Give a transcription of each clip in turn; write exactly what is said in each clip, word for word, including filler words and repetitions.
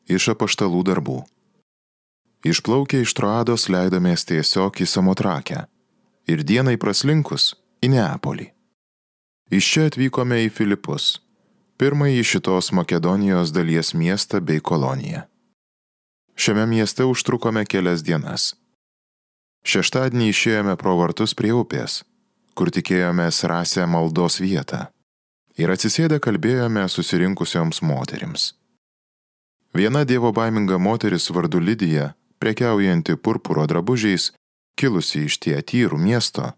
Iš apaštalų darbų. Išplaukę iš Troados leidomės tiesiog į Samotrakę ir dienai praslinkus į Neapolį. Iš čia atvykome į Filipus, pirmąjį šitos Makedonijos dalies miestą bei koloniją. Šiame mieste užtrukome kelias dienas. Šeštadienį išėjome pro vartus prie upės, kur tikėjomės rasę maldos vietą, ir atsisėdę kalbėjome susirinkusioms moterims. Viena dievobaiminga moteris vardu Lidija, prekiaujanti purpuro drabužiais, kilusi iš Tiatyrų miesto,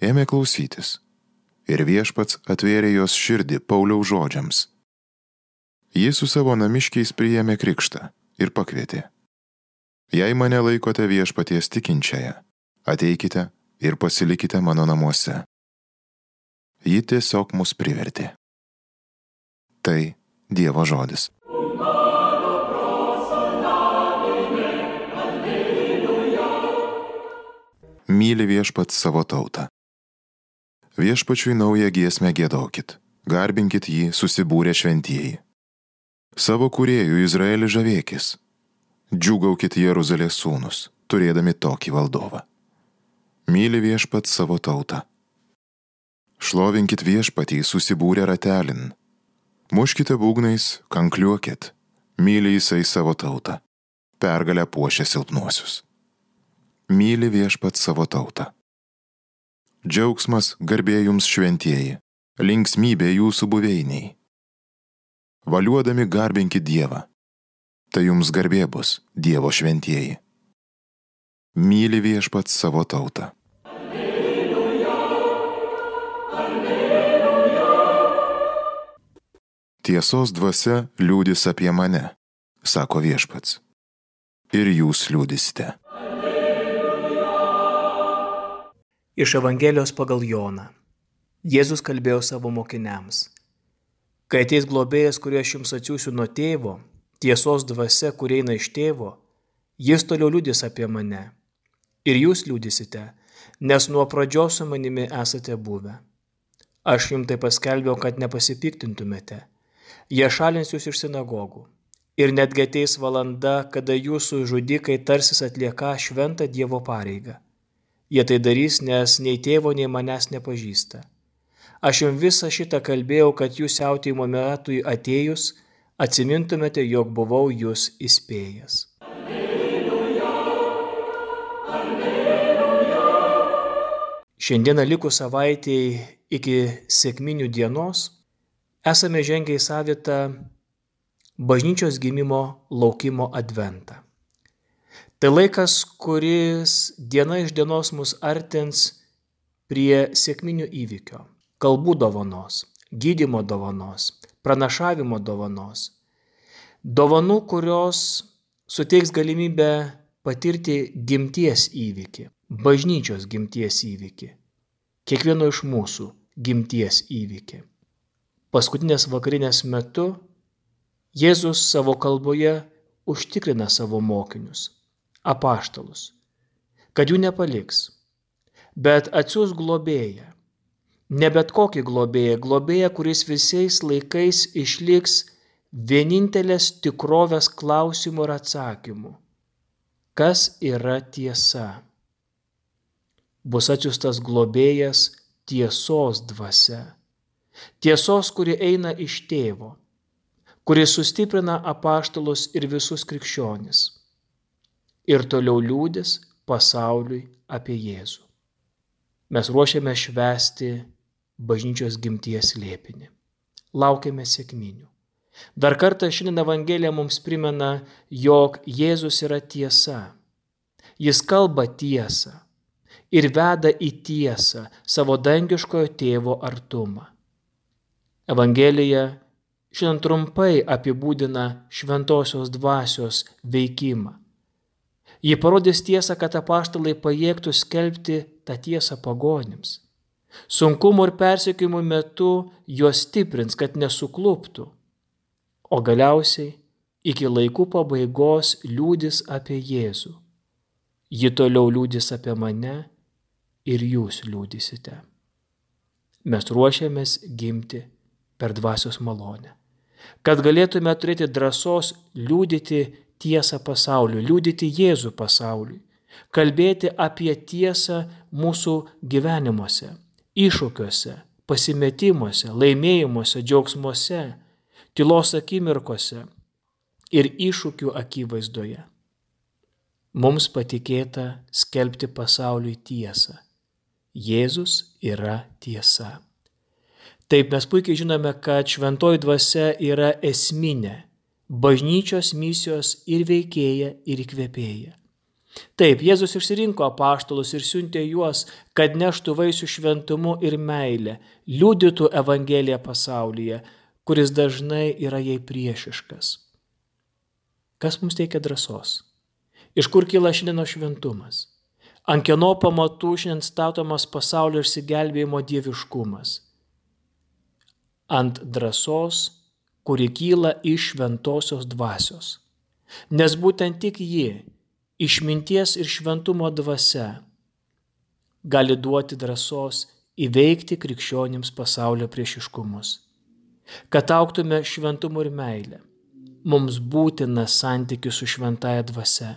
ėmė klausytis, ir viešpats atvėrė jos širdį Pauliaus žodžiams. Ji su savo namiškiais priėmė krikštą ir pakvietė: Jei mane laikote viešpaties tikinčiąją, ateikite ir pasilikite mano namuose. Ji tiesiog mus privertė. Tai Dievo žodis. Myli viešpats savo tautą. Viešpačiui naują giesmę giedokit, garbinkit jį susibūrę šventieji. Savo kūrėjų Izraelį žavėkis. Džiūgaukit Jeruzalės sūnus, turėdami tokį valdovą. Myli viešpats savo tautą. Šlovinkit viešpatį susibūrę ratelin. Muškite būgnais, kankliuokit. Myli jisai savo tautą. Pergalę puošia silpnuosius. Myli viešpats savo tautą. Džiaugsmas garbė jums šventieji, linksmybė jūsų buveiniai. Valiuodami garbinkit Dievą. Tai jums garbė bus, Dievo šventieji. Myli viešpats savo tautą. Tiesos dvasia liūdis apie mane, sako viešpats. Ir jūs liūdisite. Iš Evangelijos pagal Joną. Jėzus kalbėjo savo mokiniams: Kai ateis globėjas, kurį aš jums atsiųsiu nuo tėvo, tiesos dvasia, kuri eina iš tėvo, jis toliau liudys apie mane. Ir jūs liudysite, nes nuo pradžios su manimi esate buvę. Aš jums tai paskelbiau, kad nepasipiktintumėte. Jie šalins jūs iš sinagogų. Ir netgi ateis valanda, kada jūsų žudikai tarsis atlieka šventą Dievo pareigą. Jie tai darys, nes nei tėvo, nei manęs nepažįsta. Aš jums visą šitą kalbėjau, kad jūs siautėjimo metui atėjus, atsimintumėte, jog buvau jūs įspėjęs. Alleluja, alleluja. Šiandieną likus savaitėj iki sekminių dienos esame žengę į savitą bažnyčios gimimo laukimo adventą. Tai laikas, kuris diena iš dienos mus artins prie sekminių įvykio, kalbų dovanos, gydymo dovanos, pranašavimo dovanos. Dovanų, kurios suteiks galimybę patirti gimties įvykį, bažnyčios gimties įvykį, kiekvieno iš mūsų gimties įvykį. Paskutinės vakarinės metu Jėzus savo kalboje užtikrina savo mokinius, apaštalus, kad jų nepaliks, bet atsiųs globėją. Ne bet kokį globėją, globėją, kuris visais laikais išliks vienintelės tikrovės klausimų ir atsakymų. Kas yra tiesa? Bus atsiųstas globėjas tiesos dvasia. Tiesos, kuri eina iš tėvo, kuri sustiprina apaštalus ir visus krikščionis. Ir toliau liudys pasauliui apie Jėzų. Mes ruošiame švęsti bažnyčios gimties slėpinį. Laukiame sekminių. Dar kartą šiandien Evangelija mums primena, jog Jėzus yra tiesa. Jis kalba tiesą ir veda į tiesą savo dangiškojo tėvo artumą. Evangelija šiandien trumpai apibūdina šventosios dvasios veikimą. Ji parodys tiesą, kad apaštalai pajėgtų skelbti tą tiesą pagonims. Sunkumų ir persekiojimų metu juos stiprins, kad nesukluptų. O galiausiai iki laikų pabaigos liudys apie Jėzų. Ji toliau liudys apie mane ir jūs liudysite. Mes ruošiamės gimti per dvasios malonę. kad galėtume turėti drąsos liudyti tiesą pasauliui, liudyti Jėzų pasauliui, kalbėti apie tiesą mūsų gyvenimuose, iššūkiuose, pasimetimuose, laimėjimuose, džiaugsmuose, tylos akimirkose ir iššūkių akivaizdoje. Mums patikėta skelbti pasauliui tiesą. Jėzus yra tiesa. Taip, mes puikiai žinome, kad šventoji dvasia yra esminė bažnyčios misijos ir veikėja, ir įkvėpėja. Taip, Jėzus išsirinko apaštalus ir siuntė juos, kad neštų vaisių šventumu ir meilę, liudytų Evangeliją pasaulyje, kuris dažnai yra jai priešiškas. Kas mums teikia drąsos? Iš kur kyla šiandienos šventumas? Ant kieno pamatų šiandien statomas pasaulio išsigelbėjimo dieviškumas? Ant drąsos, kuri kyla iš šventosios dvasios. Nes būtent tik ji, išminties ir šventumo dvasia, gali duoti drąsos įveikti krikščionims pasaulio priešiškumus. Kad augtume šventumu ir meilę, mums būtina santykis su šventąja dvasia.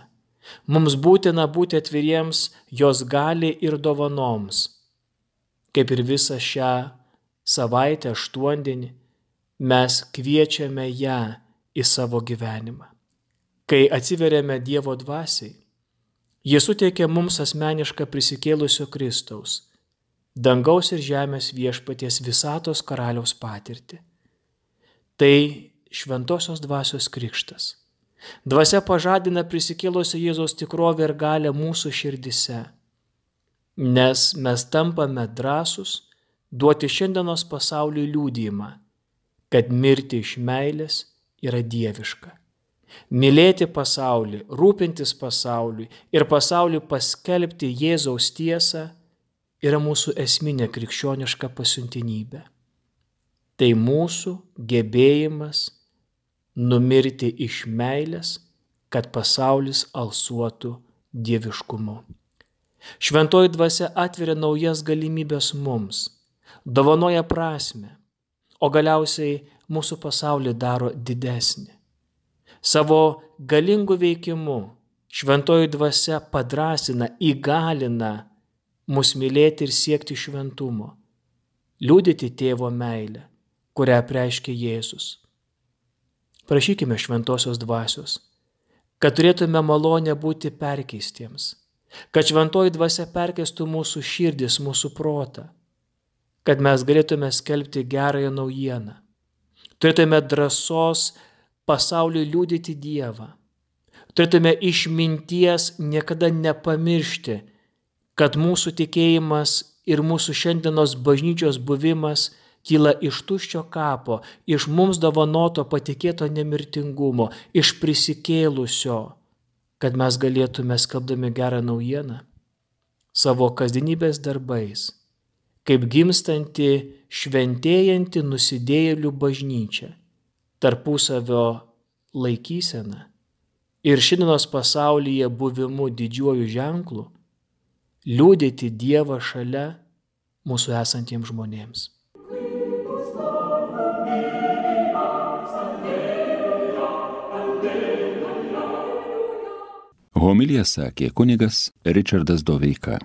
Mums būtina būti atviriems jos gali ir dovanoms. Kaip ir visą šią savaitę aštuondienį, mes kviečiame ją į savo gyvenimą. Kai atsiveriame Dievo dvasiai, Jis suteikia mums asmenišką prisikėlusio Kristaus, dangaus ir žemės viešpaties visatos karaliaus patirtį. Tai šventosios dvasios krikštas. Dvasia pažadina prisikėlusio Jėzaus tikrovę ir galią mūsų širdise, nes mes tampame drąsūs duoti šiandienos pasauliui liudijimą, kad mirti iš meilės yra dieviška. Mylėti pasaulį, rūpintis pasauliui ir pasauliui paskelbti Jėzaus tiesą yra mūsų esminė krikščioniška pasiuntinybė. Tai mūsų gebėjimas numirti iš meilės, kad pasaulis alsuotų dieviškumu. Šventoji dvasia atveria naujas galimybės mums, dovanoja prasmę, o galiausiai mūsų pasaulį daro didesnį. Savo galingu veikimu šventoji dvasia padrąsina, įgalina mus mylėti ir siekti šventumo, liudyti tėvo meilę, kurią apreiškė Jėzus. Prašykime šventosios dvasios, kad turėtume malonę būti perkeistiems, kad šventoji dvasia perkeistų mūsų širdis, mūsų protą, kad mes galėtume skelbti gerąją naujieną, turėtume drąsos pasauliui liudyti Dievą, turėtume išminties niekada nepamiršti, kad mūsų tikėjimas ir mūsų šiandienos bažnyčios buvimas kyla iš tuščio kapo, iš mums dovanoto patikėto nemirtingumo, iš prisikėlusio, kad mes galėtume skelbdami gerą naujieną savo kasdienybės darbais, kaip gimstanti, šventėjanti nusidėjėlių bažnyčia, tarpusavio laikysena ir šiandienos pasaulyje buvimu didžiuoju ženklu, liudyti Dievą šalia mūsų esantiems žmonėms. Homiliją sakė kunigas Ričardas Doveika.